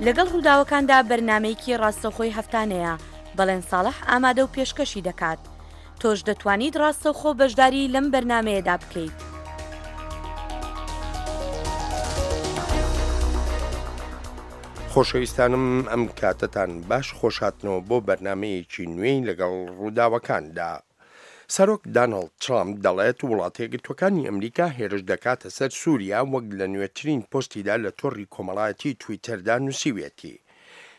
لەگەڵ ڕووداوەکاندا بەرنامەیەکی ڕاستەوخۆی هەفتانەیە، بەڵێن ساڵح ئامادە و پێشکەشی دەکات. تۆش دەتوانیت ڕاستەوخۆ بەشداری لەم بەرنامەیەدا بکەیت. خۆشەویستانم ئەم کاتەتان باش خۆشهاتنەوە بۆ بەرنامەیەکی نوێی لەگەڵ ڕووداوەکاندا. سەرۆک دانۆڵد ترامپ دەڵێت وڵاتەیەکگرتووەکانی ئەمریکا هێرش دەکاتە سەر سوریا وەک لە نوێترین پۆستیدا لە تۆڕی کۆمەڵایەتی تویتەردا نووسیویەتی.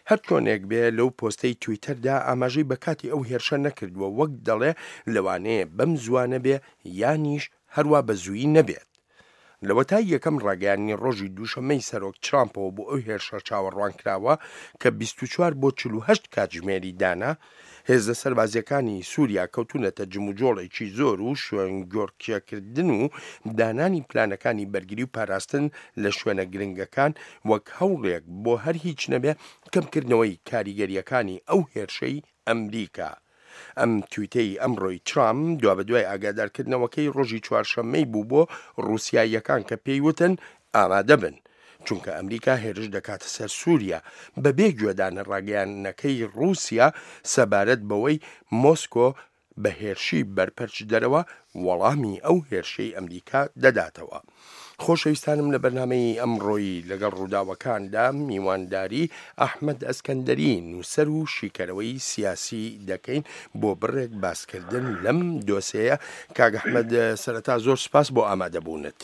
هەرچۆنێک بێ لەو پۆستەی تویتەردا ئاماژەی بە کاتی ئەو هێرشە نەکردووە وەک دەڵێ لەوانەیە بەم زووانە بێ یانیش هەروا بە زوویی نەبێت. لەوەتای یەکەم ڕاگەیاندنی ڕۆژی دووشەممەی سەرۆک ترامپەوە بۆ ئەو هێرشە چاوەڕوانکراوە کە 24 بۆ 48 کاتژمێری دانا، هێزە سەربازییەکانی سووریا کەوتوونەتە جموجۆڵێکی زۆر و شوێنگۆڕکێکردن و دانانی پلانەکانی بەرگری و پاراستن لە شوێنە گرنگەکان وەک هەوڵێک بۆ هەر هیچ نەبێ کەمکردنەوەی کاریگەرییەکانی ئەو هێرشەی ئەمریکا. ئەم تویتەی ئەمڕۆی ترامپ دوابەدوای ئاگادارکردنەوەکەی ڕۆژی چوارشەممەی بوو بۆ ڕووسیاییەکان کە پێی وتن ئامادە بن چونکە ئەمریکا هێرش دەکاتە سەر سووریا بەبێ گوێدانە ڕاگەیاندنەکەی ڕووسیا سەبارەت بەوەی مۆسکۆ بە هێرشی بەرپەرچدەرەوە وەڵامی ئەو هێرشەی ئەمریکا دەداتەوە. خۆشەویستانم لە بەرنامەی ئەمڕۆی لەگەڵ ڕووداوەکاندا میوانداری ئەحمەد ئەسکەندەری نووسەر و شیکەرەوەی سیاسی دەکەین بۆ بڕێک باسکردن لەم دۆسێیە. کاک ئەحمەد سەرەتا زۆر سوپاس بۆ ئامادەبوونت.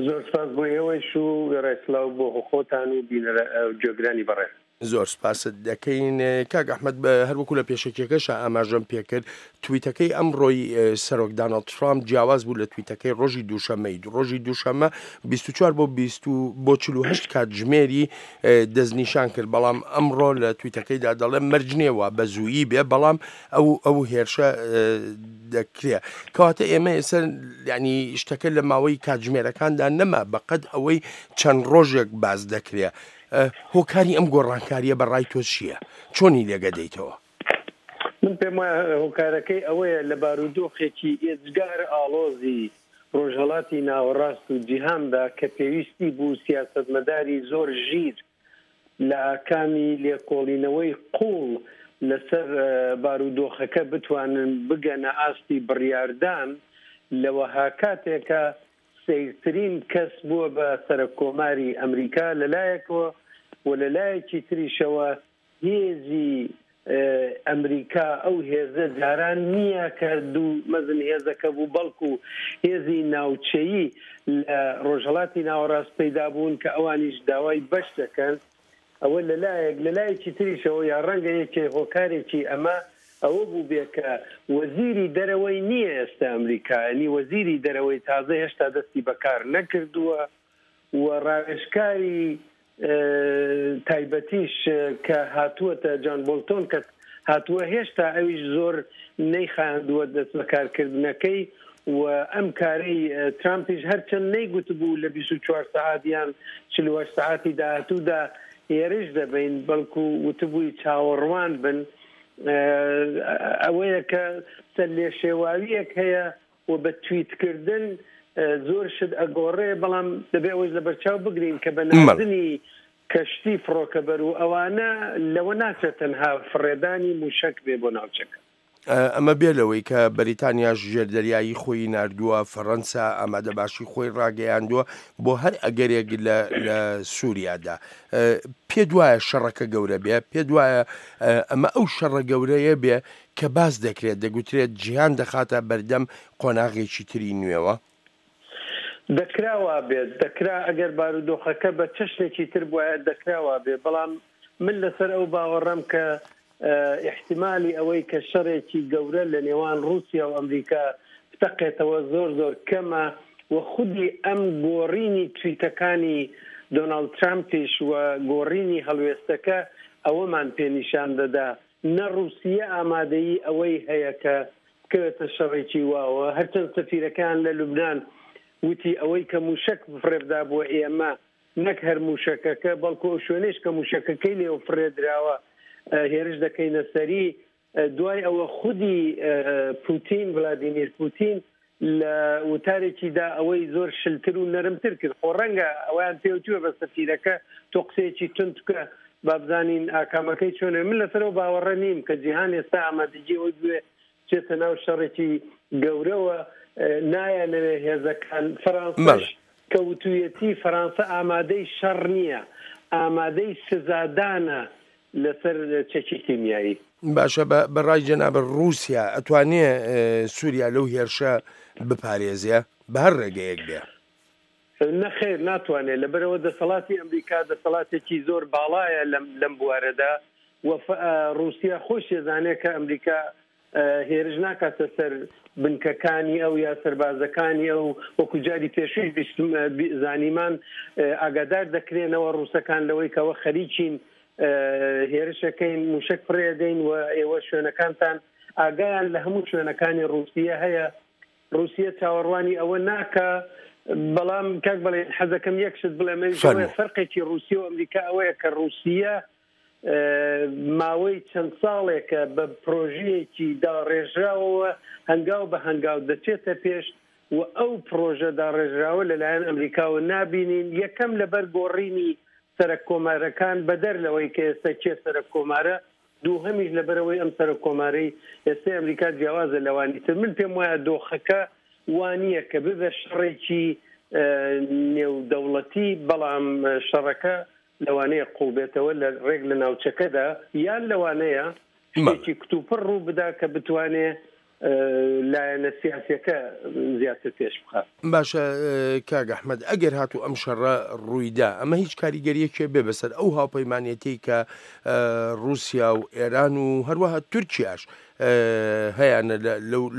زۆر سوپاس بۆ ئێوەیش و وێڕای سڵاو بۆ خۆتان و بینەرە گوێگرانی بەڕێز. زۆر سپاست دەکەین کاک ئەحمەد هەروەکو لە پێشەکیەکەشا ئاماژەم پێکرد تویتەکەی ئەمڕۆی سەرۆک داناڵد ترامپ جیاواز بوو لە تویتەکەی ڕۆژی دووشەمەی ڕۆژی دووشەمە 24 بۆ 20 بۆ 48 کاتژمێری دەستنیشان کرد بەڵام ئەمڕۆ لە تویتەکەیدا دەڵێ مەرج نییە وا بە زوویی بێ بەڵام ئەو ئەو هێرشە دەکرێ کەواتە ئێمە ئێستا ینی شتەکە لە ماوەی کاتژمێرەکاندا نەما بەقەد ئەوەی چەند ڕۆژێک باز دەکرێ هۆکاری ئەم گۆڕانکارییە بە ڕای تۆ چییە؟ چۆنی لێگەدەیتەوە؟ من پێم وایە هۆکارەکەی ئەوەیە لە بارودۆخێکی ئێجگار ئاڵۆزی ڕۆژهەڵاتی ناوەڕاست و جیهاندا کە پێویستی بوو سیاسەتمەداری زۆر ژیر لە ئاکامی لێکۆڵینەوەی قووڵ لەسەر بارودۆخەکە بتوانن بگەنە ئاستی بڕیاردان لە وەها کاتێکا سەیرترین کەس بووە بە سەرەک کۆماری ئەمریکا لە لایەکەوە و لە لایەکی تریشەوە هێزی ئەمریکا ئەو هێزە جاران نییە کە دوو مەزن هێزەکە بوو بەڵکو هێزی ناوچەیی لە ڕۆژهەڵاتی ناوەڕاست پەیدا بوون کە ئەوانیش داوای بەش دەکەن ئەوە لە لایەک، لە لایەکی تریشەوە یا ڕەنگە یەکێ هۆکارێکی ئەمە ئەوە بووبێ کە وەزیری دەرەوەی نییە ئێستا ئەمریکا، یانی وەزیری دەرەوەی تازە هێشتا دەستی بە کار نەکردووە و ڕاوێژکاری تایبەتیش کە هاتووەتە جان بۆڵتۆن کە هاتووە هێشتا ئەویش زۆر نەیخایاندووە دەستبەکارکردنەکەی و ئەم کارەی ترامپیش هەرچەند نەیگوتبوو لە 24 سەعات یان 48 سەعاتی داهاتوودا هێرش دەبەین بەڵکو وتبووی چاوەڕوان بن ئەوەیە کە سەرلێشێواوییەک هەیە و بە تویتکردن زۆر شت ئەگۆڕێ بەڵام دەبێ ئەوەش لەبەرچاو بگرین کە بە ناردنی کەشتی فڕۆکەبەر و ئەوانە لەوە ناچێت تەنها فڕێدانی موشەک بێ بۆ ناوچەکە. ئەمە بێ لەوەی کە بەریتانیاش ژێردەریایی خۆی ناردووە، فەڕەنسا ئامادەباشی خۆی ڕاگەیاندووە بۆ هەر ئەگەرێک لە لە سووریادا. پێت وایە شەڕەکە گەورە بێ؟ پێت وایە ئەمە ئەو شەڕە گەورەیە بێ کە باس دەکرێت، دەگوترێت جیهان دەخاتە بەردەم قۆناغێکی تری نوێوە؟ دەکرا وابێت، دەکرا ئەگەر بارودۆخەکە بە چەشنێکی تر بوایە دەکرا وابێت، بەڵام من لەسەر ئەو باوەڕەم کە ئیحتیمالی ئەوەی کە شەڕێکی گەورە لە نێوان ڕووسیا و ئەمریکا بتەقێتەوە زۆر زۆر کەمە و خودی ئەم گۆڕینی تویتەکانی دۆناڵد ترامپیش و گۆڕینی هەڵوێستەکە ئەوەمان پێ نیشان دەدا نە ڕووسیە ئامادەیی ئەوەی هەیە کە بکەوێتە شەڕێکی واوە، هەرچەند سەفیرەکەیان لە لوبنان وتی ئەوەی کە مووشەک فڕێبدابووە ئێمە نەک هەر مووشەکەکە بەڵکو ئەو شوێنەیش کە مووشەکەکەی لێوە فڕێدراوە هێرش دەکەینە سەری. دوای ئەوە خودی پوتین، ڤلادیمیر پوتین، لە وتارێکیدا ئەوەی زۆر شلتر و نەرمتر کرد. خۆ ڕەنگە ئەوەیان پێوتووە بە سەفیرەکە تۆ قسەیەکی توند بکە با بزانین ئاکامەکەی چۆنە. من لەسەر ئەو باوەڕە نیم کە جیهان ئێستا ئامادەگی ئەوەی بوێ بچێتە ناو شەڕێکی گەورەوە، نایانەوێ هێزەکان، فەرانسەش کە وتوویەتی فەرانسە ئامادەی شەڕ نییە، ئامادەی سزادانە لەسەر چەکی کیمیایی. باشە بە بە ڕای جەنابت ڕووسیا ئەتوانێ سووریا لەو هێرشە بپارێزێ بە هەر ڕێگەیەک بێ؟ نەخێر ناتوانێ، لەبەرئەوە دەسەڵاتی ئەمریکا دەسەڵاتێکی زۆر باڵایە لەم لەم بوارەدا و ڕووسیا خۆشی ئەزانێ کە ئەمریکا هێرش ناکاتە سەر بنکەکانی ئەو یا سەربازەکانی ئەو، وەکو جاری پێشوویش زانیمان ئاگادار دەکرێنەوە ڕووسەکان لەوەی کەەوە خەریکین هێرشەکەین موشک فڕێدەین و ئێوە شوێنەکانتان ئاگایان لە هەموو شوێنەکانی ڕووسیە هەیە. ڕووسیە چاوەڕوانی ئەوە ناکا، بەڵام کاک بەڵێن حەزەکەم یەک شت بڵێم ئەویش ئەوەیە فەرقێکی ڕووسیە و ئەمریکا ئەوەیە کە ڕووسیە ماوەی چەند ساڵێکە بە پرۆژەیەکی داڕێژراوەوە هەنگاو بە هەنگاو دەچێتە پێش و ئەو پرۆژە داڕێژراوە لەلایەن ئەمریکاوە نابینین، یەکەم لەبەر گۆڕینی سەرەک کۆمارەکان بەدەر لەوەی کە ئێستا کێ سەرەک کۆمارە، دووهەمیش لەبەرئەوەی ئەم سەرۆک کۆمارەی ئێستەی ئەمریکا جیاوازە لەوانی تر. من پێم وایە دۆخەکە وانییە کە ببێ شەڕێکی نێودەوڵەتی، بەڵام شەڕەکە لەوانەیە قوڵ بێتەوە لە ڕێک لە ناوچەکەدا، یان لەوانەیە شتێکی کتوپڕ ڕوو بدا کە بتوانێ لایەنە سیاسیەکە زیاتر پێش بخات. باشە کاک ئەحمەد ئەگەر هاتوو ئەم شەڕە ڕوویدا ئەمە هیچ کاریگەریەکێ بێ بەسەر ئەو هاوپەیمانێتیەی کە ڕووسیا و ئێران و هەروەها تورکیاش هەیانە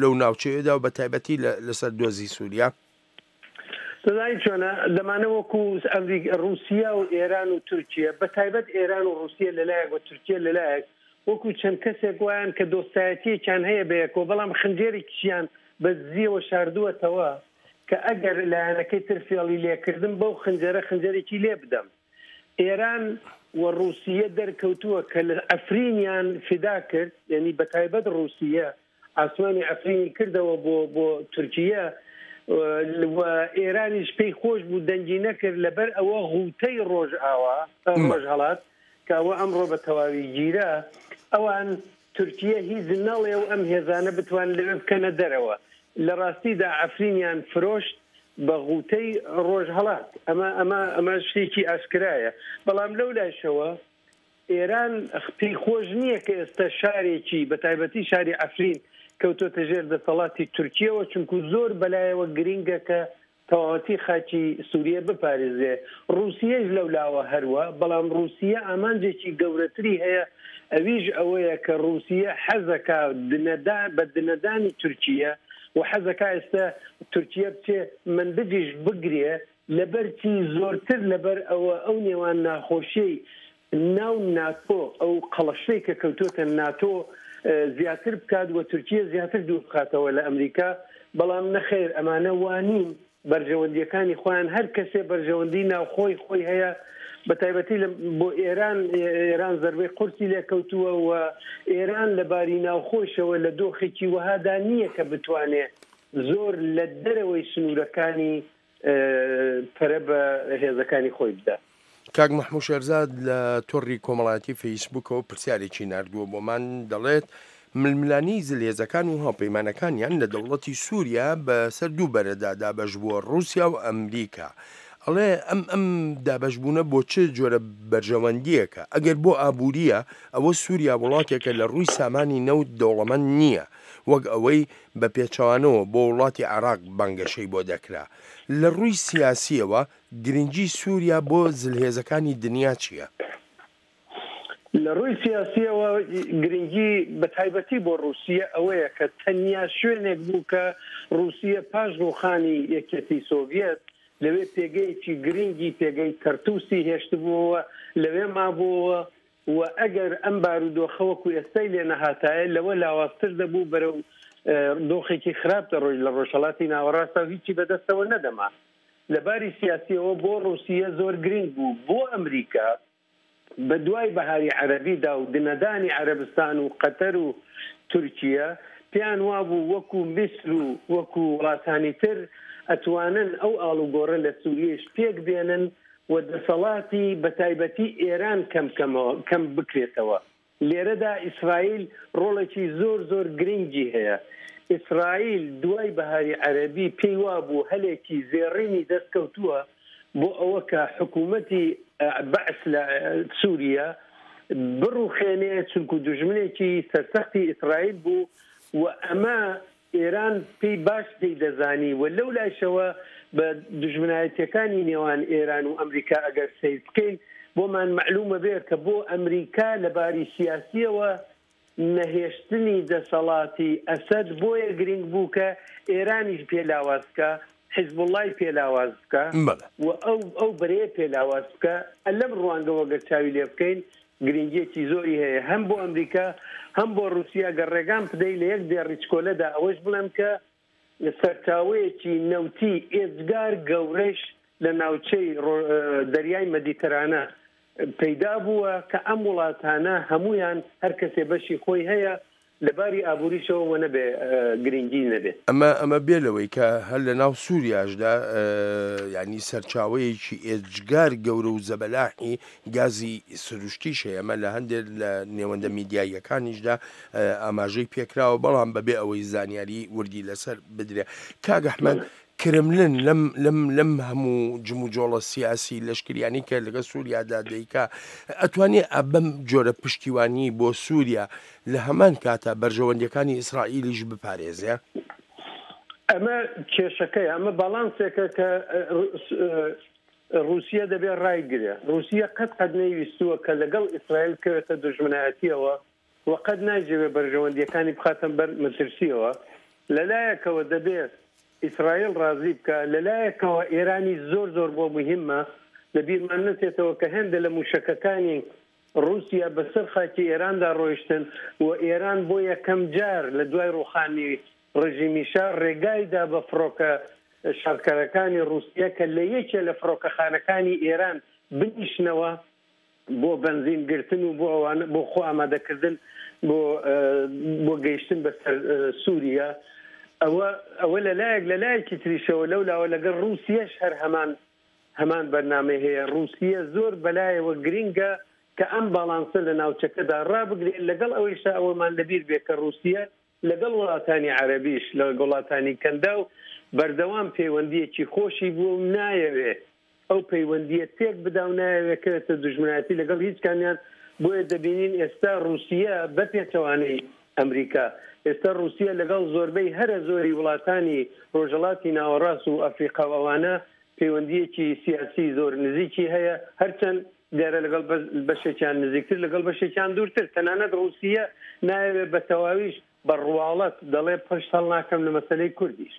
لەو ناوچەیەدا و بە تایبەتی لەسەر دۆزی سووریا؟ دەزانی چۆنە دەمانە وەکو ئەمریک ڕووسیا و ئێران و تورکیە بە تایبەت ئێران و ڕووسیە لەلایەک و تورکیە لەلایەک وەکو چەند کەسێک وایان کە دۆستایەتیەکیان هەیە بەیەکەوە بەڵام خنجێرێکیشیان بە دزیەوە شاردووەتەوە کە ئەگەر لایەنەکەی تر فێڵی لێکردم بەو خنجەرە خنجەرێکی لێ بدەم. ئێران و ڕووسیە دەرکەوتووە کە لە عەفرینیان فیدا کرد یعنی بە تایبەت ڕووسیە ئاسمانی عەفرینی کردەوە بۆ بۆ تورکیە و ئێرانیش پێی خۆش بوو دەنگی نەکرد لەبەر ئەوە غوتەی ڕۆژئاوا ڕۆژهەڵات کە ئەوە ئەمڕۆ بە تەواوی گیرا ئەوان تورکیە هیچ نەڵێ و ئەم هێزانە بتوان لەوێ بکەنە دەرەوە لە ڕاستیدا عەفرینیان فرۆشت بە غوتەی ڕۆژهەڵات ئەمە ئەمە ئەمە شتێکی ئاشکرایە بەڵام لەو لایشەوە ئێران پێی خۆش نییە کە ئێستا شارێکی بە تایبەتی شاری عەفرین کەوتۆتە ژێر دەسەڵاتی تورکیەوە چونکو زۆر بەلایەوە گرینگە کە تەواوەتی خاکی سوریە بپارێزرێ ڕوسیەیش لەو لاوە هەروا بەڵام ڕوسیە ئامانجێکی گەورەتری هەیە ئەویش ئەوەیە کە ڕوسیە حەزەکا دنەدا بە دنەدانی تورکیە و حەزەکا ئێستا تورکیە بچێ منبجیش بگرێ لەبەر چی؟ زۆرتر لەبەر ئەوە ئەو نێوان ناخۆشیەی ناو ناتۆ، ئەو قەڵەشەی کە کەوتۆتە ناتۆ زیاتر بکات و تورکیە زیاتر دوور بخاتەوە لە ئەمریکا، بەڵام نەخێر ئەمانە وا نین، بەرژەوەندیەکانی خۆیان هەر کەسێ بەرژەوەندی ناوخۆی خۆی هەیە بە تایبەتی لە بۆ ئێران، ئێران زەربەی قورسی لێکەوتووە و ئێران لە باری ناوخۆیشەوە لە دۆخێکی وەهادا نییە کە بتوانێ زۆر لە دەرەوەی سنوورەکانی پەرە بە هێزەکانی خۆی بدا. کاک مەحموو شێرزاد لە تۆڕی کۆمەڵایەتی فەیسبووکەوە پرسیارێکی ناردووە بۆمان دەڵێت، ململانێی زلهێزەکان و هاوپەیمانەکانیان لە دەوڵەتی سووریا بە سەر دوو بەرەدا دابەش بووە، ڕووسیا و ئەمریکا. ئەڵێ ئەم ئەم دابەشبوونە بۆ چ جۆرە بەرژەوەندییەکە؟ ئەگەر بۆ ئابوورییە، ئەوە سووریا وڵاتێکە لە ڕووی سامانی نەوت دەوڵەمەند نییە، وەک ئەوەی بە پێچەوانەوە بۆ وڵاتی عێراق بانگەشەی بۆ دەکرا. لە ڕووی سیاسییەوە گرنگی سووریا بۆ زلهێزەکانی دنیا چییە؟ لە ڕووی سیاسییەوە گرنگی بە تایبەتی بۆ ڕووسیە ئەوەیە کە تەنیا شوێنێک بوو کە ڕووسیە پاش ڕووخانی یەکیەتی سۆڤیەت لەوێ پێگەیەکی گرنگی پێگەی تەرتوسی هێشتبووەوە لەوێ مابووەوە و ئەگەر ئەم بارودۆخە وەکو ئێستای لێ نەهاتایە لەوە لاوازتر دەبوو بەرەو دۆخێکی خراپ دەڕۆیشت لە ڕۆژهەڵاتی ناوەڕاستا و هیچی بەدەستەوە نەدەما. لە باری سیاسیەوە بۆ ڕوسیە زۆر گرنگ بوو، بۆ ئەمریکا بە دوای بەهاری عەرەبیدا و دنەدانی عەرەبستان و قەتەر و تورکیە. پێیان وابوو وەکو میسر و وەکو وڵاتانی تر ئەتوانن ئەو ئاڵوگۆڕە لە سوریەیش پێک بێنن و دەسەڵاتی بەتایبەتی ئێران کەم کەمەوە کەم بکرێتەوە. لێرەدا ئیسرائیل ڕۆڵێکی زۆر زۆر گرنگی هەیە. ئیسرائیل دوای بەهاری عەرەبی پێی وابوو هەلێکی زێڕینی دەست کەوتووە بۆ ئەوە کە حکوومەتی بەعس لە سووریە بڕوخێنێ چونکو دوژمنێکی سەرسەختی ئیسرائیل بوو و ئەمە ئێران پێی باش پێی دەزانی و لەو لایشەوە بە دوژمنایەتیەکانی نێوان ئێران و ئەمریکا ئەگەر سەیر بکەین بۆمان مەعلومە بێ کە بۆ ئەمریکا لە باری سیاسیەوە نەهێشتنی دەسەڵاتی ئەسەد بۆیە گرینگ بوو کە ئێرانیش پێ لاواز بکا، حیزبوڵڵای پێ لاواز بکا و ئەو ئەو بەرەیە پێ لاواز بکا. لەم ڕوانگەوە گەر چاوی لێ بکەین گرینگییەکی زۆری هەیە هەم بۆ ئەمریکا هەم بۆ ڕووسیا. گەر ڕێگام بدەی لە یەک دێڕی چکۆلەدا ئەوەش بڵێم کە سەرچاوەیەکی نەوتی ئێجگار گەورەش لە ناوچەی دەریای مەدیتەرانە پەیدا بووە کە ئەم وڵاتانە هەموویان هەر کەسێ بەشی خۆی هەیە لە باری ئابووریشەوە وە نەبێ گرنگی نەبێ. ئەمە ئەمە بێ لەوەی کە هەر لە ناو سووریاشدا یانی سەرچاوەیەکی ئێجگار گەورە و زەبەلاحی گازی سروشتیش هەیە، ئەمە لە هەندێک لە نێوەندە میدیاییەکانیشدا ئاماژەی پێکراوە، بەڵام بەبێ ئەوەی زانیاری وردی لەسەر بدرێ. کاک ئەحمەد، کرملن لەم لەم لەم هەموو جموجۆڵە سیاسی لەشکریانی کە لەگە سووریادا دەیکا ئەتوانێ بەم جۆرە پشتیوانی بۆ سووریا لە هەمان کاتا بەرژەوەندیەکانی ئیسرائیلیش بپارێزێ؟ ئەمە کێشەکەیە، ئەمە باڵانسێکە کە ڕووسیە دەبێ ڕایگرێ. ڕووسیە قەت قەت نەیویستووە کە لەگەڵ ئیسرائیل بکەوێتە دوژمنایەتیەوە و قەت نایجەوێ بەرژەوەندیەکانی بخاتە بەر مەترسیەوە. لە لایەکەوە دەبێ ئیسرائیل ڕازی بکا، لە لایەکەوە ئێرانی زۆر زۆر بۆ موهیمە. لە بیرمان نەچێتەوە کە هێندە لە مووشەکەکانی ڕووسیا بە سەر خاکی ئێراندا ڕۆیشتن و ئێران بۆ یەکەم جار لە دوای ڕووخانی ڕژیمی شا ڕێگای دا بە فڕۆکە شەڕکەرەکانی ڕووسیە کە لە یەکێ لە فڕۆکەخانەکانی ئێران بنیشنەوە بۆ بەنزین گرتن و بۆ ئەوانە بۆ خۆ ئامادەکردن بۆ بۆ گەیشتن بە سەر سووریە. ئەوە ئەوە لە لایەک، لە لایەکی تریشەوە لەو لاوە لەگەڵ ڕووسیەش هەر هەمان هەمان بەرنامەی هەیە، ڕووسیە زۆر بەلایەوە گرنگە کە ئەم باڵانسە لە ناوچەکەدا ڕابگرێت، لەگەڵ ئەوەیشا ئەوەمان لەبیر بێت کە ڕووسیە لەگەڵ وڵاتانی عەرەبیش، لەگەڵ وڵاتانی کەنداو بەردەوام پەیوەندییەکی خۆشی بووە و نایەوێ ئەو پەیوەندییە تێک بدا و نایەوێ کەوێتە دوژمنایەتی لەگەڵ هیچ کامیان، بۆیە دەبینین ئێستا ڕووسیە بە پێچەوانەی ئەمریکا، ئێستا ڕووسیە لەگەڵ زۆربەی هەرە زۆری وڵاتانی ڕۆژهەڵاتی ناوەڕاست و ئەفریقا و ئەوانە پەیوەندییەکی سیاسی زۆر نزیکی هەیە، هەرچەند دیارە لەگەڵ بەشێکیان نزیکتر لەگەڵ بەشێکیان دوورتر، تەنانەت ڕووسیە نایەوێ بە تەواویش بە ڕواڵەت دەڵێ پشت هەڵناکەم لە مەسەلەی کوردیش.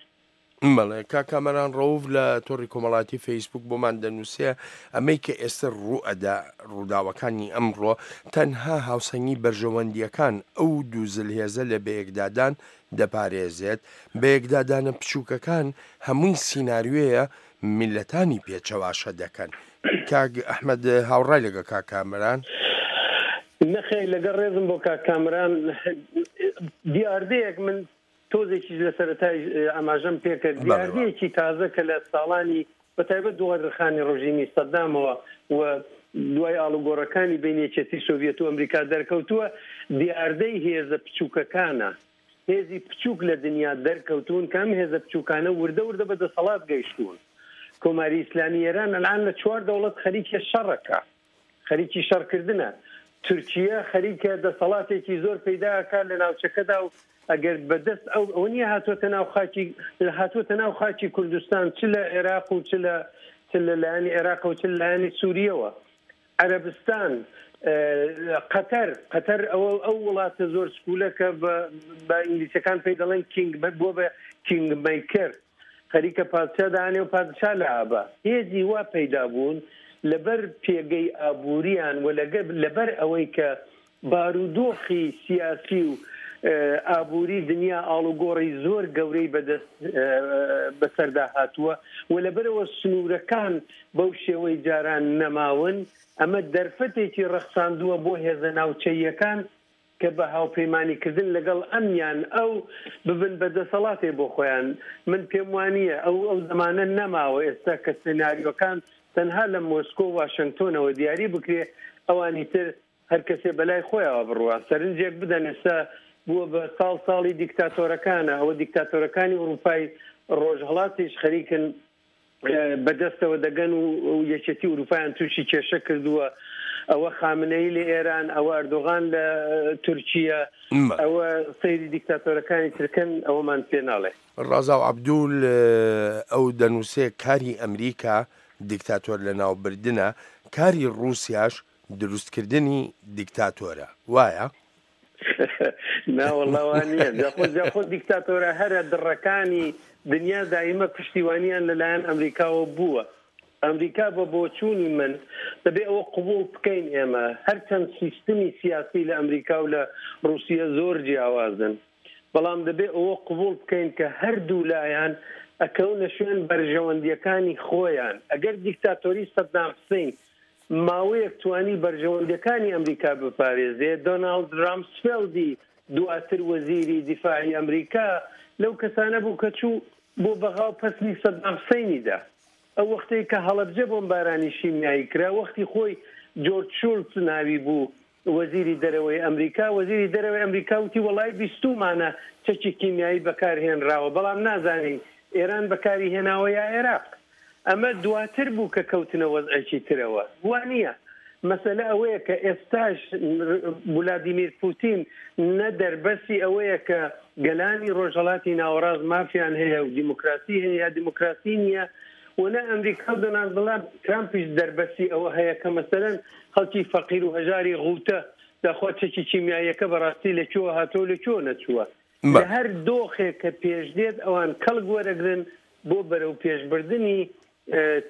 بەڵێ کاک کامەران ڕەوف لە تۆڕی کۆمەڵاتی فەیسبوک بۆمان دەنووسێ ئەمەی کە ئێستە ڕووئەدا ڕووداوەکانی ئەمڕۆ تەنها هاوسەنگی بەرژەوەندییەکان ئەو دوو زلهێزە لە بەیەکدادان دەپارێزێت، بەیەکدادانە بچووکەکان هەمووی سیناریۆیە میللەتانی پێ چەواشە دەکەن. کاک ئەحمەد هاوڕای لەگەڵ کاک کامەران؟ نەخێر لەگەڵ ڕێزم بۆ کاک کامەران دیاردەیەک من تۆزێکیش لە سەرەتای ئاماژەم پێکرد، دیاردەیەکی تازە کە لە ساڵانی بە تایبەت دوای ڕخانی ڕژیمی سەدامەوە و دوای ئاڵوگۆڕەکانی بین یەکێتی سۆڤیەت و ئەمریکا دەرکەوتووە، دیاردەی هێزە بچووکەکانە. هێزی بچووک لە دنیا دەرکەوتوون کە ئەم هێزە بچووکانە وردە وردە بە دەسەڵات گەیشتوون. کۆماری ئیسلامی ئێران ئەلان لە چوار دەوڵەت خەریکە شەڕەکە. خەریکی شەڕکردنە. تورکیە خەریکە دەسەڵاتێکی زۆر پەیدا ئەکات لە ناوچەکەدا و ئەگەر بە دەست ئەو ئەوە نییە هاتووەتە ناو خاکی هاتووەتە ناو خاکی کوردستان چ لە عێراق و چ لە چ لە لایەنی عێراق و چ لە لایەنی سووریەوە. عەرەبستان، قەتەر، قەتەر ئەوە ئەو وڵاتە زۆر سکوولە کە بە ئینگلیسەکان پێی دەڵێن کینگ بووە بە کینگ مەیکەر. خەریکە پادشا دانێ و پادشا لابا. هێزی وا پەیدا بوون لەبەر پێگەی ئابووریان و لەبەر ئەوەی کە بارودۆخی سیاسی و ئابووری دنیا ئاڵوگۆڕی زۆر گەورەی بەدەست بەسەردا هاتووە و لەبەرئەوە سنوورەکان بەو شێوەی جاران نەماون، ئەمە دەرفەتێکی ڕەخساندووە بۆ هێزە ناوچەییەکان. کە بە هاوپەیمانی کردن لەگەڵ ئەم یان ئەو ببن بە دەسەڵاتێ بۆ خۆیان. من پێم وانییە ئەو ئەو زەمانە نەماوە ئێستا کە سناریۆکان تەنها لە مۆسکۆ و واشنگتۆنەوە دیاری بکرێ ئەوانی تر هەر کەسێ بەلای خۆیەوە بڕوا. سەرنجێک بدەن ئێستا بووە بە ساڵ ساڵی دیکتاتۆرەکانە، ئەوە دیکتاتۆرەکانی ئورووپای ڕۆژهەڵاتیش خەریکن بەدەستەوە دەگەن و یەکێتی ئورووپایان تووشی کێشە کردووە. ئەوە خامنەیی لە ئێران، ئەوە ئەردۆغان لە تورکیە، ئەوە سەیری دیکتاتۆرەکانی ترکەن ئەوەمان پێ ناڵێ. ڕازاو عەبدول، ئەو دەنووسێ کاری ئەمریکا دیکتاتۆر لەناوبردنە، کاری ڕووسیاش دروستکردنی دیکتاتۆرە، وایە؟ نا وەڵا وا نییە. جا خۆ جا خۆ دیکتاتۆرە هەرە دڕەکانی دنیا دایمە پشتیوانیان لەلایەن ئەمریکاوە بووە. ئەمریکا بە بۆچوونی من دەبێ ئەوە قبوڵ بکەین ئێمە هەرچەند سیستمی سیاسی لە ئەمریکا و لە ڕووسیە زۆر جیاوازن بەڵام دەبێ ئەوە قبوڵ بکەین کە هەردوو لایان ئەکەونە شوێن بەرژەوەندیەکانی خۆیان. ئەگەر دیکتاتۆری سەدام حسین ماوەیەک توانی بەرژەوەندیەکانی ئەمریکا بپارێزێ، دۆناڵد رامسفێڵدی دواتر وەزیری دیفاعی ئەمریکا لەو کەسانە بوو کە چوو بۆ بەغا و پەسنی سەدام حسینی دا. ئەو وەختەی کە هەڵەبجە بۆمبارانی شیمیایی کرا وەختی خۆی جۆرج شولتز ناوی بوو وەزیری دەرەوەی ئەمریکا، وەزیری دەرەوەی ئەمریکا وتی وەڵای بیستوومانە چەکی کیمیایی بەکار هێنراوە بەڵام نازانین ئێران بەکاری هێناوە یا عێراق. ئەمە دواتر بوو کە کەوتنە وەزعێکی ترەوە. وا نییە. مەسەلە ئەوەیە کە ئێستاش ولادیمیر پوتین نە دەربەستی ئەوەیە کە گەلانی ڕۆژهەڵاتی ناوەڕاست مافیان هەیە و دیموکراسی هەیە یا دیموکراسی نییە و نە ئەمریکا و دۆناڵد ترامپیش دەربەستی ئەوە هەیە کە مەسەلەن خەڵکی فەقیر و هەژاری غوتە داخوا چەکی کیمیاییەکە بەڕاستی لە کوێوە هاتووە و لە کوێوە نەچووە. لە هەر دۆخێک کە پێش دێت ئەوان کەڵک وەرەگرن بۆ بەرەو پێشبردنی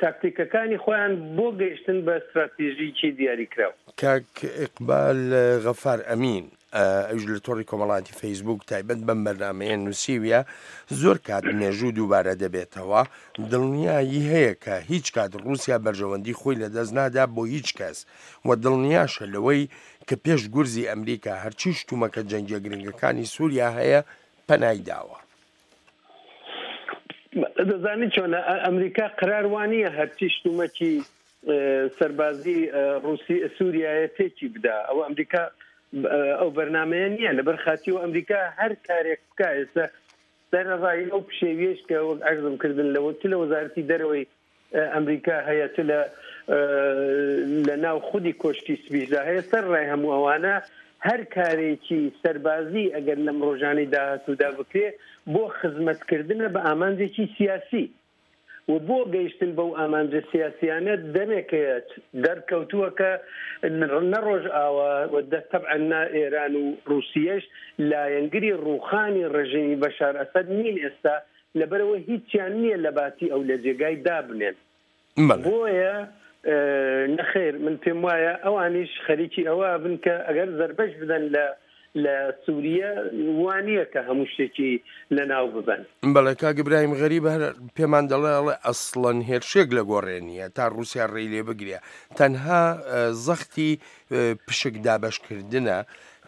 تاکتیکەکانی خۆیان بۆ گەیشتن بە ستراتیژیی دیاریکراو. کاک ئیقبال غەفار ئەمین، ئەویش لە تۆڕی کۆمەڵایەتی فەیسبووک تایبەت بەم بەرنامەیە نووسیویە، زۆر کات مێژوو دووبارە دەبێتەوە، دڵنیایی هەیە کە هیچ کات ڕووسیا بەرژەوەندی خۆی لەدەست نادا بۆ هیچ کەس و دڵنیاشە لەوەی کە پێش گورزی ئەمریکا هەرچی شتومەکە جەنگیە گرنگەکانی سووریا هەیە پەنای داوە. دەزانی چۆنە ئەمریکا قرار وانییە هەرچی شتومەکی سەربازی ڕوسی سووریایە تێکی بدا ئەوە ئەمریکا ئەو بەرنمەیە نییە لەبەر خاتی و ئەمریکا هەر کارێک بکە ئێستا سەرەڕای ئەو پشێویەش کە وەک عەرزم کردن لەوە چ لە وەزارەتی دەرەوەی ئەمریکا هەیە چ لە لە ناو خودی کۆشکی سپیشدا هەیە سەر ڕای هەموو ئەوانە هەر کارێکی سەربازی ئەگەر لەم ڕۆژانەی داهاتوودا بکرێ بۆ خزمەتکردنە بە ئامانجێکی سیاسی و بۆ گەیشتن بەو ئامانجە سیاسیانە دەمێکەیە دەرکەوتووە کە نە ڕۆژئاوا و تەبعەن نە ئێران و ڕووسیەش لایەنگری ڕووخانی ڕژێمی بەشار ئەسەد نین ئێستا لەبەرئەوە هیچیان نییە لەباتی ئەو لە جێگای دابنێن. بۆیە نەخێر من پێم وایە ئەوانیش خەریکی ئەوە بن کە ئەگەر زەربەش بدەن لە لە سووریە وا نییە کە هەموو شتێکی لەناو ببەن. بەڵێ کاک ئیبراهیم غەریب هەر پێمان دەڵێ ئەڵێ ئەسڵەن هێرشێک لە گۆڕێ نییە تا ڕووسیا ڕێی لێ بگرێ تەنها زەختی پشک دابەشکردنە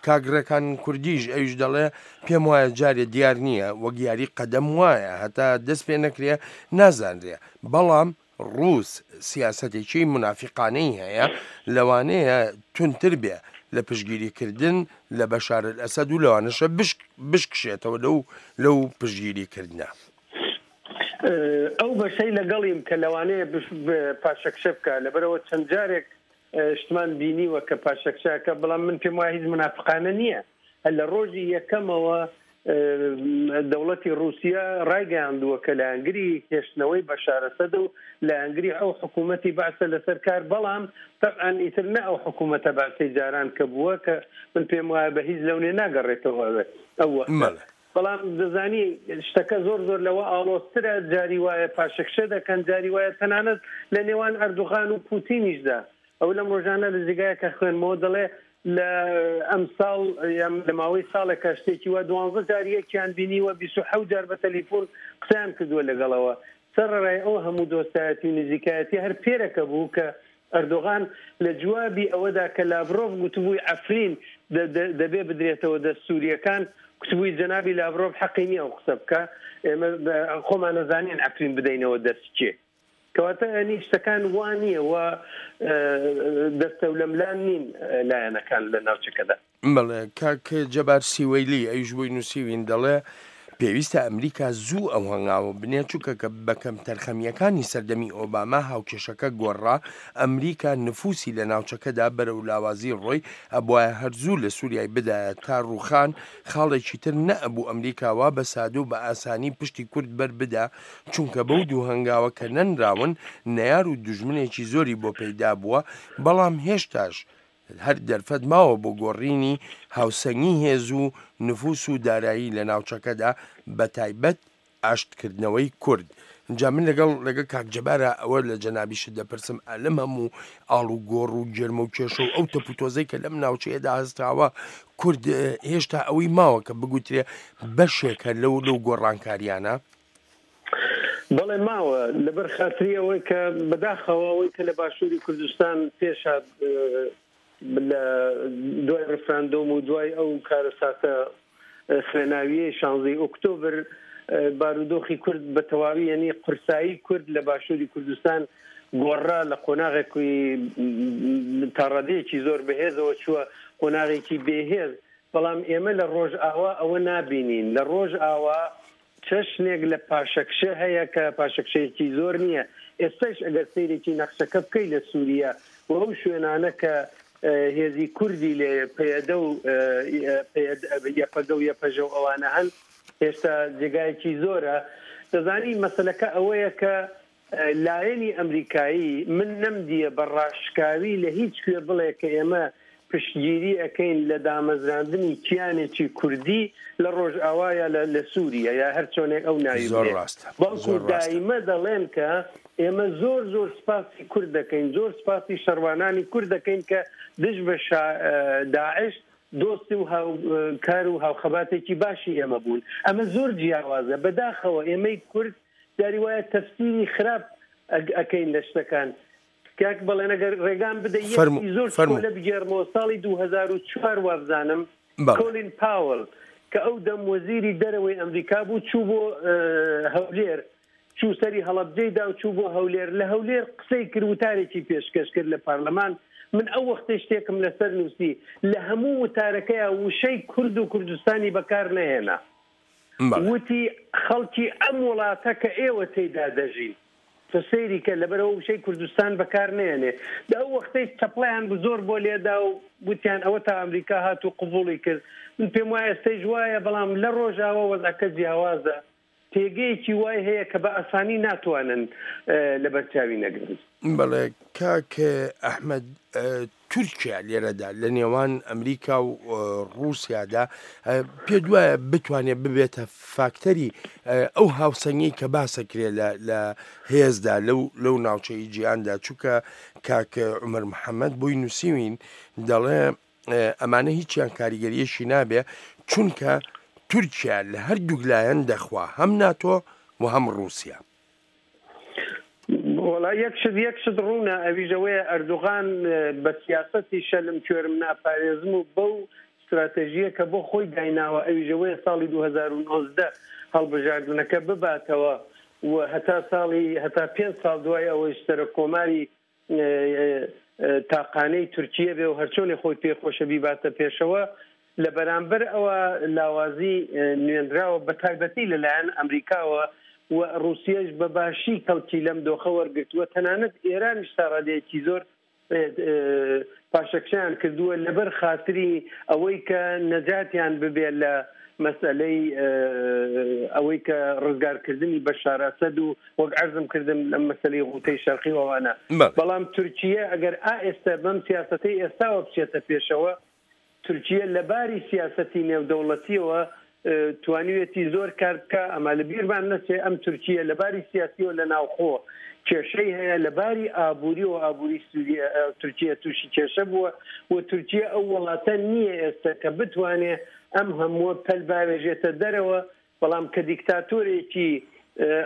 کاک ڕێکان کوردیش ئەویش دەڵێ پێم وایە جارێ دیار نییە وەک یاری قەدەم وایە هەتا دەست پێ نەکرێ نازانرێ بەڵام ڕووس سیاسەتێکی مونافیقانەی هەیە لەوانەیە توندتر بێ لە پشتگیری کردن لە بەشار ئەسەد و لەوانەشە بشکشێتەوە لەو لەو پشتگیری کردنە. ئەو بەشەی لەگەڵیم کە لەوانەیە پاشەکشە بکا لەبەرئەوە چەند جارێک شتمان بینیوە کە پاشەکشە ئەکا بەڵام من پێم وایە هیچ مونافقانە نییە هەر لە ڕۆژی یەکەمەوە دەوڵەتی ڕووسیا ڕایگەیاندووە کە لایەنگری هێشتنەوەی بەشار ئەسەد و لایەنگری ئەو حکوومەتی بەعسە لەسەر کار بەڵام تەبعەن ئیتر نە ئەو حکوومەتە بەعسەی جاران کە بووە کە من پێم وایە بە هیچ لەونێ ناگەڕێتەوە ئەو وەختە بەڵام دەزانی شتەکە زۆر زۆر لەوە ئاڵۆزترە، جاری وایە پاشەکشە دەکەن، جاری وایە تەنانەت لە نێوان ئەردوغان و پوتینیشدا، ئەو لەم ڕۆژانە لە جێگایەکە خوێندمەوە دەڵێ لە ئەمساڵ یان لە ماوەی ساڵێکا شتێکی وا دوانزە جار یەکیان بینیوە، 27 جار بە تەلیفۆن قسەیان کردووە لەگەڵەوە. سەرەڕای ئەو هەموو دۆستایەتی و نزیکایەتی هەر پێرەکە بوو کە. ئەردۆغان لە جوابی ئەوەدا کە لاڤرۆڤ گوتبووی عەفرین دەبێ بدرێتەوە دەست سوورییەکان، گوتبووی جەنابی لاڤرۆڤ حەقی نییە ئەو قسە بکا، ئێمە خۆمان ئەزانین عەفرین بدەینەوە دەست کێ. کەواتە یانی شتەکان وا نییە و دەستەولەملان نین لایەنەکان لە ناوچەکەدا. بەڵێ کاک جەبار سیوەیلی ئەویش بۆی نووسیوین دەڵێ پێویستە ئەمریکا زوو ئەو هەنگاوە بنێ چونکە کە بە کەمتەرخەمییەکانی سەردەمی ئۆباما هاوکێشەکە گۆڕا ئەمریکا نفوسی لە ناوچەکەدا بەرەو لاوازی ڕۆی ئەبوایە هەر زوو لە سوریای بدایە تا ڕووخان خاڵێکی تر نەئەبوو ئەمریکا وا بە سادە و بە ئاسانی پشتی کورد بەر بدا چونکە بەو دوو هەنگاوە کە نەنراون نەیار و دوژمنێکی زۆری بۆ پەیدا بووە بەڵام هێشتاش هەر دەرفەت ماوە بۆ گۆڕینی هاوسەنگی هێز و نفوس و دارایی لە ناوچەکەدا بەتایبەت ئاشتکردنەوەی کورد. جا من لەگەڵ لەگەڵ کاک جەبارا ئەوە لە جەنابیشت دەپرسم ئا لەم هەموو ئاڵوگۆڕ و گێرمە و کێشە و ئەو تەپوتۆزەی کە لەم ناوچەیەدا هەستاوە کورد هێشتا ئەوەی ماوە کە بگوترێ بەشێکە لەو لەو گۆڕانکاریانە؟ بەڵێ ماوە، لەبەر خاتری ئەوەی کە بەداخەوە ئەوەی کە لە باشووری کوردستان پێش هات لە دوای ڕیفراندۆم و دوای ئەو کارەساتە خوێناویەی شانزەی ئۆکتۆبر بارودۆخی کورد بە تەواوی یەنی قورسایی کورد لە باشووری کوردستان گۆڕا لە قۆناغێکی تاڕادەیەکی زۆر بەهێزەوە چووە قۆناغێکی بێهێز بەڵام ئێمە لە ڕۆژئاوا ئەوە نابینین لە ڕۆژئاوا چەشنێک لە پاشەکشە هەیە کە پاشەکشەیەکی زۆر نییە، ئێستاش ئەگەر سەیرێکی نەخشەکە بکەی لە سوریە و ئەو شوێنانە کە هێزی کوردی لێیە پەیەدە و یەپەگە و یەپەژە و ئەوانە هەن هێشتا جێگایەکی زۆرە، دەزانی مەسەلەکە ئەوەیە کە لایەنی ئەمریکایی من نەمدیە بە ڕاشکاوی لە هیچ کوێ بڵێ کە ئێمە پشتگیری ئەکەین لە دامەزراندنی کیانێکی کوردی لە ڕۆژئاوا یا لە لە سوریە یا هەر چۆنێک ئەو ناوی زۆر بنێ ڕاستە بەڵکو زۆر ڕاستە. دایمە دەڵێن کە ئێمە زۆر زۆر سپاسی کورد دەکەین زۆر سپاسی شەڕوانانی کورد دەکەین کە دژ بە شا داعش دۆستی و هاوکار و هاوخەباتێکی باشی ئێمە بوون ئەمە زۆر جیاوازە بەداخەوە ئێمەی کورد جاری وایە تەفسیری خراپ ئەکەین لە شتەکان. کاک بەڵێن ئەگەر ڕێگام بدەی یەک فەرموو شتی زۆر فەرموو. چکۆلە بگێڕمەوە ساڵی 2004 وابزانم بەڵێ. کۆلین پاوڵ کە ئەو دەم وەزیری دەرەوەی ئەمریکا بوو چوو بۆ هەولێر چوو سەری هەڵەبجەی دا و چوو بۆ هەولێر لە هەولێر قسەی کرد وتارێکی پێشکەش کرد لە پارلەمان من ئەو وەختەی شتێکم لەسەر نووسی لە هەموو وتارەکەیا وشەی کورد و کوردستانی بەکار نەهێنا. وتی، خەڵکی ئەم وڵاتە کە ئێوە تێیدا دەژین. تۆ سەیری کە لەبەرئەوە وشەی کوردستان بەکار نەیەنێ. دە ئەو وەختەی چەپڵەیان زۆر بۆ لێدا و وتیان ئەوەتا ئەمریکا هات و قبوڵی کرد. من پێم وایە ئێستەیش وایە، بەڵام لە ڕۆژاوا وەزعەکە جیاوازە. پێگەیەکی وای هەیە کە بە ئاسانی ناتوانن لەبەر چاوی نەگرن. بەڵێ کاک ئەحمەد تورکیا لێرەدا لە نێوان ئەمریکا و ڕووسیادا پێت وایە بتوانێت ببێتە فاکتەری ئەو هاوسەنگی کە باسەکرێ لە هێزدا لەو لەو ناوچەی جیهاندا چونکە کاک عمر محەممەد بۆی نووسیوین دەڵێ ئەمانە هیچیان کاریگەریەکی نابێ چونکە تورکیا لە هەردووک لایەن دەخوا هەم ناتۆ و هەم ڕووسیا. وەڵا یەک شت یەک شت ڕوونە ئەویش ئەوەیە ئەردوغان بە سیاسەتی شەلم کوێرم ناپارێزم و بەو ستراتێژییە کە بۆ خۆی دایناوە ئەویش ئەوەیە ساڵی 2019 هەڵبژاردنەکە بباتەوە و هەتا ساڵی هەتا پێنج ساڵ دوای ئەوەیش سەرۆک کۆماری تاقانەی تورکیە بێ و هەرچۆنێ خۆی پێ خۆشە بیباتە پێشەوە، لە بەرامبەر ئەوە لاوازی نوێنراوە بە تایبەتی لە لایەن ئەمریکاوە و ڕووسیەش بە باشی کەڵکی لەم دۆخە وەرگرتووە، تەنانەت ئێرانیش تا ڕادەیەکی زۆر پاشەکشەیان کردووە لەبەر خاتری ئەوەی کە نەجاتیان ببێ لە مەسئەلەی ئەوەی کە ڕزگارکردنی بەشار ئەسەد و وەک عەرزم کردم لەم مەسەلەی غوتەی شەرقی و ئەوانە. بەڵام تورکیە ئەگەر ئا ئێستا بەم سیاسەتەی ئێستاوە بچێتە پێشەوە، تورکیە لە باری سیاسەتی نێودەوڵەتیەوە توانیویەتی زۆر کار بکا، ئەما لە بیرمان نەچێ ئەم تورکیە لە باری سیاسیەوە لە ناوخۆ کێشەی هەیە، لە باری ئابووریەوە ئابووری سوریە تورکیە تووشی کێشە بووە و تورکیە ئەو وڵاتە نییە ئێستا کە بتوانێ ئەم هەمووە پەل باوێژێتە دەرەوە بەڵام کە دیکتاتۆرێکی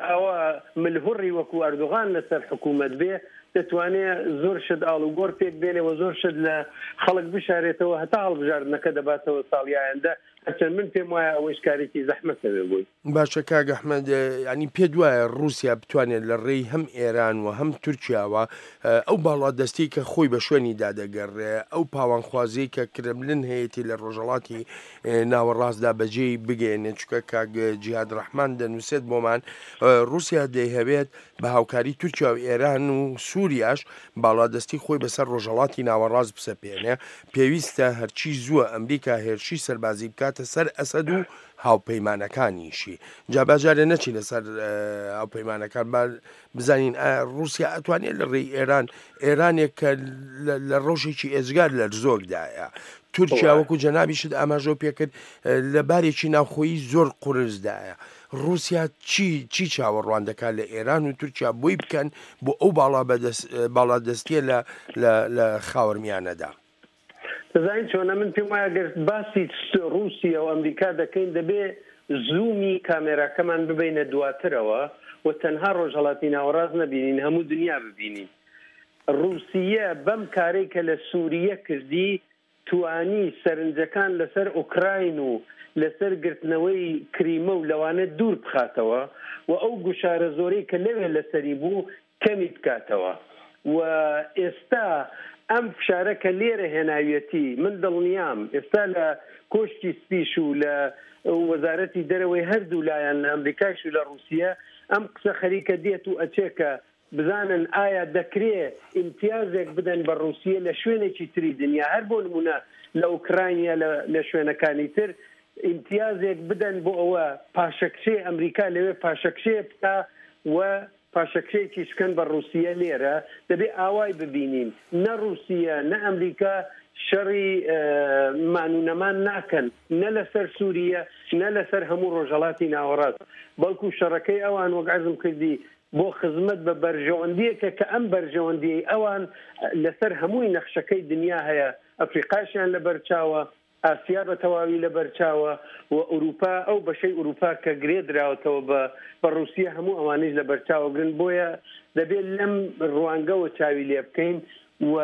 ئاوا ملهوڕی وەکو ئەردۆغان لەسەر حکوومەت بێ، دەتوانێ زۆر شت ئاڵوگۆڕ پێک بێنێ و زۆر شت لە خەڵک بشارێتەوە هەتا هەڵبژاردنەکە دەباتەوە ساڵی ئایندە، هەرچەند من پێم وایە ئەوەیش کارێکی زەحمەتە بێ بۆی. باشە کاک ئەحمەد یانی پێت وایە ڕووسیا بتوانێت لە ڕێی هەم ئێران و هەم تورکیاوە ئەو باڵادەستی کە خۆی بە شوێنی دادەگەڕێ ئەو پاوانخوازیەی کە کرملن هەیەتی لە ڕۆژهەڵاتی ناوەڕاستدا بەجێی بگەیەنێت چونکە کاک جیهاد ڕەحمان دەنووسێت بۆمان ڕووسیا دەیهەوێت بە هاوکاری تورکیا و ئێران و سووریاش باڵادەستی خۆی بەسەر ڕۆژهەڵاتی ناوەڕاست بسەپێنێ پێویستە هەرچی زووە ئەمریکا هێرشی سەربازی بکاتە سەر ئەسەد و هاوپەیمانەکانیشی جا با جارێ نەچینە سەر هاوپەیمانەکان با بزانین ئایا ڕووسیا ئەتوانێت لە ڕێی ئێران ئێرانێک کە لە ڕۆژێکی ئێجگار لەرزۆکدایە تورکیا وەکو جەنابیشت ئاماژەو پێکرد لە بارێکی ناوخۆیی زۆر قورسدایە ڕووسیا چی چی چاوەڕوان دەکات لە ئێران و تورکیا بۆی بکەن بۆ ئەو باڵا باڵادەستیە لە لە خاوەرمیانەدا؟ دەزانی چۆنە من پێم وایە گەر باسی ڕووسیا و ئەمریکا دەکەین دەبێ زوومی کامێراکەمان ببەینە دواترەوە و تەنها ڕۆژهەڵاتی ناوەڕاست نەبینین هەموو دنیا ببینین ڕووسیە بەم کارەی کە لە سووریە کردی توانی سەرنجەکان لەسەر ئۆکراین و لەسەر گرتنەوەی کریمە و لەوانە دوور بخاتەوە و ئەو گوشارە زۆرەی کە لەوێ لەسەری بوو کەمی بکاتەوە و ئێستا ئەم فشارە کە لێرە هێناویەتی من دڵنیام ئێستا لە کۆشکی سپیش و لە وەزارەتی دەرەوەی هەردوو لایەن لە ئەمریکایش و لە ڕووسیە ئەم قسە خەریکە دێت و ئەچێ کە بزانن ئایا دەکرێ ئیمتیازێک بدەن بە ڕووسیە لە شوێنێکی تری دنیا هەر بۆ نموونە لە ئوکراین یا لە شوێنەکانی تر ئیمتیازێک بدەن بۆ ئەوە پاشەکشەی ئەمریکا لەوێ پاشەکشەیە بکا و پاشەکشەیەکیش بکەن بە ڕووسیە لێرە دەبێ ئاوای ببینین نە ڕووسیە نە ئەمریکا شەڕی مان و نەمان ناکەن نە لەسەر سووریە نە لەسەر هەموو ڕۆژهەڵاتی ناوەڕاست بەڵکو شەڕەکەی ئەوان وەک عەرزم کردی بۆ خزمەت بە بەرژەوەندیەکە کە ئەم بەرژەوەندیەی ئەوان لەسەر هەمووی نەخشەکەی دنیا هەیە ئەفریقاشیان لەبەرچاوە ئاسیا بە تەواوی لە بەرچاوە و ئورووپا، ئەو بەشەی ئورووپا کە گرێ دراوەتەوە بە بە ڕووسیە هەموو ئەوانەیش لە بەرچاوە گرن بۆیە دەبێ لەم ڕوانگەوە چاوی لێ بکەین و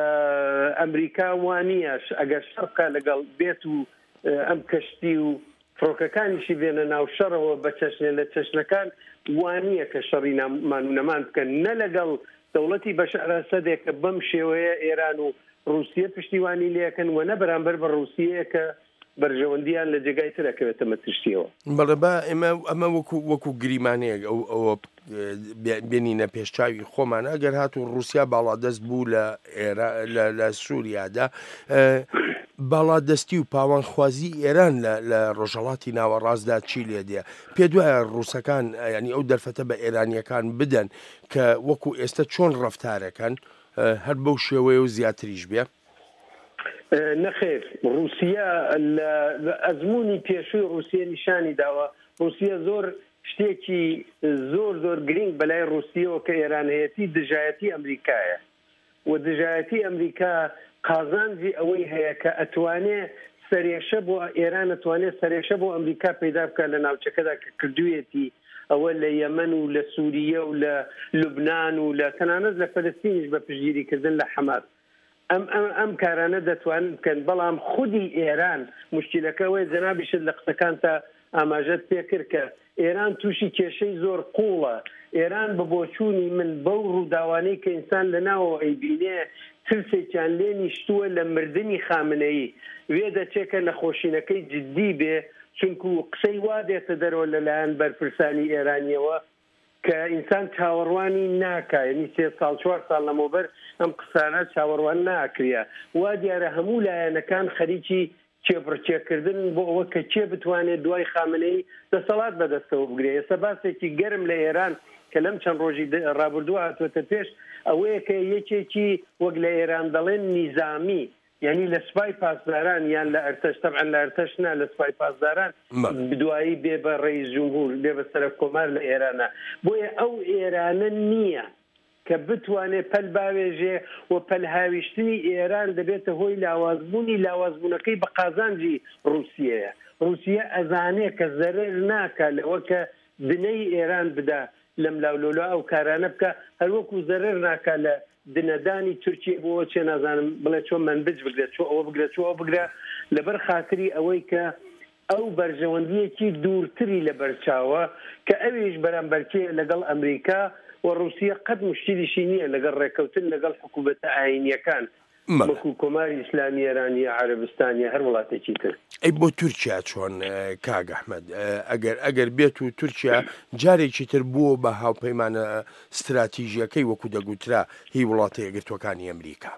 ئەمریکا وانییە ئەگەر شەڕ بکا لەگەڵ بێت و ئەم کەشتی و فڕۆکەکانیشی بێنە ناو شەڕەوە بە چەشنێ لە چەشنەکان وانییە کە شەڕی مان و نەمان بکەن نە لەگەڵ دەوڵەتی بەشار ئەسەدێک کە بەم شێوەیە ئێران و ڕووسیە پشتیوانی لێکەن و نە بەرامبەر بە ڕووسیەیە کە بەرژەوەندیان لە جێگای تر ئەکەوێتە مەترسیەوە. بەڵێ با ئێمە ئەمە وەکو وەکو گریمانەیەک ئەو ئەوە بێنینە پێش چاوی خۆمان ئەگەر هاتوو ڕووسیا باڵادەست بوو لە ئێرا لە لە سووریادا باڵادەستی و پاوانخوازی ئێران لە لە ڕۆژهەڵاتی ناوەڕاستدا چی لێ دێ پێت وایە ڕووسەکان یانی ئەو دەرفەتە بە ئێرانییەکان بدەن کە وەکو ئێستە چۆن ڕەفتارەکەن هەر بەو شێوەیە و زیاتریش بێ؟ نەخێر، ڕووسیە لە ئەزموونی پێشووی ڕووسیە نیشانی داوە، ڕووسیە زۆر شتێکی زۆر زۆر گرینگ بەلای ڕووسیەوە کە ئێران هەیەتی دژایەتی ئەمریکایە و دژایەتی ئەمریکا قازانجی ئەوەی هەیە کە ئەتوانێ سەرێشە بۆ ئێران ئەتوانێ سەرێشە بۆ ئەمریکا پەیدا بکات لە ناوچەکەدا کە کردوویەتی ئەوە لە یەمەن و لە سوریە و لە لوبنان و لە تەنانەت لە فەلەستینیش بە پشتگیری کردن لە حەماس ئەم ئەم ئەم کارانە دەتوانن بکەن بەڵام خودی ئێران موشکیلەکە ئەوەیە جەنابیشت لە قسەکانتا ئاماژەت پێ کرد کە ئێران تووشی کێشەی زۆر قووڵە ئێران بە بۆچوونی من بەو ڕووداوانەی کە ئینسان لە ناوەوە ئەیبینێ ترسێکیان لێ نیشتووە لە مردنی خامنەیی وێدەچێ کە نەخۆشینەکەی جدی بێ چونکو قسەی وا دێتە دەرەوە لە لایەن بەرپرسانی ئێرانیەوە کە ئینسان چاوەڕوانی ناکا یەنی سێ ساڵ چوار ساڵ لەمەوبەر ئەم قسانە چاوەڕوان ناکریا وا دیارە هەموو لایەنەکان خەریکی کێبڕکێ کردنن بۆ ئەوە کە کێ بتوانێت دوای خامنەیی دەسەڵات بەدەستەوە بگرێ ئێستا باسێکی گەرم لە ئێران کە لەم چەند ڕۆژی ڕابردووە هاتووەتە پێش ئەوەیە کە یەکێکی وەک لە ئێران دەڵێن نیزامی یانی لە سوپای پاسداران یان لە ئەرتەش تەبعەن لە ئەرتەش نا لە سوپای پاسداران دوایی بێ بە ڕەئیس جمهور بێ بە سەرەک کۆمار لە ئێرانە بۆیە ئەو ئێرانە نییە کە بتوانێ پەل باوێژێ و پەل هاویشتنی ئێران دەبێتە هۆی لاوازبوونی لاوازبوونەکەی بە قازانجی ڕووسیەیە ڕووسیە ئەزانێ کە زەرەر ناکا لەوە کە دنەی ئێران بدا لەملاولەولا ئەو کارانە بکا هەروەکو زەرەر ناکا لە. دنەدانی تورکیە بۆ چێ نازانم بڵێ چۆ مەنبج بگرە چۆ ئەوە بگرە چۆ ئەوە بگرە لەبەر خاتری ئەوەی کە ئەو بەرژەوەندییەکی دوورتری لەبەرچاوە کە ئەویش بەرامبەرکێ لەگەڵ ئەمریکا و ڕووسیە قەت موشکیلیشی نییە لەگەڵ ڕێککەوتن لەگەڵ حکوومەتە ئایینییەکان وەکوو کۆماری ئیسلامی ئێران یا عەرەبستان یا هەر وڵاتێکی تر. ئەی بۆ تورکیا چۆن کاک ئەحمەد؟ ئەگەر ئەگەر بێت و تورکیا جارێکی تر بووە بە هاوپەیمانە ستراتیژییەکەی وەکوو دەگوترا هی وڵاتە یەکگرتووەکانی ئەمریکا.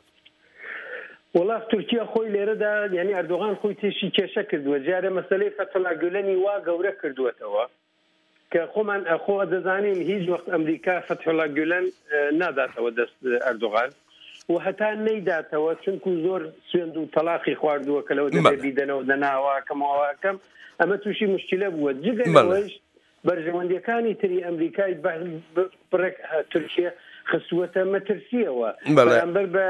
وەڵا تورکیا خۆی لێرەدا یانی ئەردۆغان خۆی تێشی کێشە کردووە جارێ مەسەلەی فەتحوڵا گولەنی وا گەورە کردووەتەوە کە خۆمان خۆ دەزانین هیچ وەخت ئەمریکا فەتحوڵا گولەن ناداتەوە دەست ئەردۆغان و هەتا نەیداتەوە چونکو زۆر سوێند و تەلاقی خواردووە کە لەوە دەبێ بیدەنەوە دەناواکەمەوەکەم ئەمە تووشی مشکلە بووە جگە لەوەیش بەرژەوەندیەکانی تری ئەمریکای بڕێک تورکیە خستووەتە مەترسیەوە بەرامبەر بە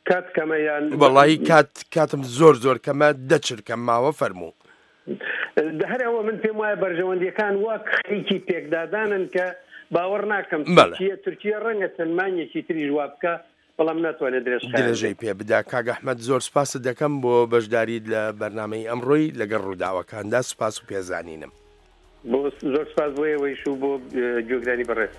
کات کەمە یان وەڵی کات کاتم زۆر زۆر کەمە دەچرکەم ماوە فەرموو. هەر ئەوە من پێم وایە بەرژەوەندیەکان وەک خەریکی پێکدادانن کە باوەڕ ناکەم تورکیە تورکیە ڕەنگە چەند مانگێکی تریش وا بکا بەڵام ناتوانێت درێژخایەن درێژەی پێ بدا. کاک ئەحمەد زۆر سپاست دەکەم بۆ بەشداریت لە بەرنامەی ئەمڕۆی لەگەڵ ڕووداوەکاندا سپاس و پێزانینم. بۆ زۆر سپاس بۆ ئێوەیش و بۆ گوێگرانی بەڕێز.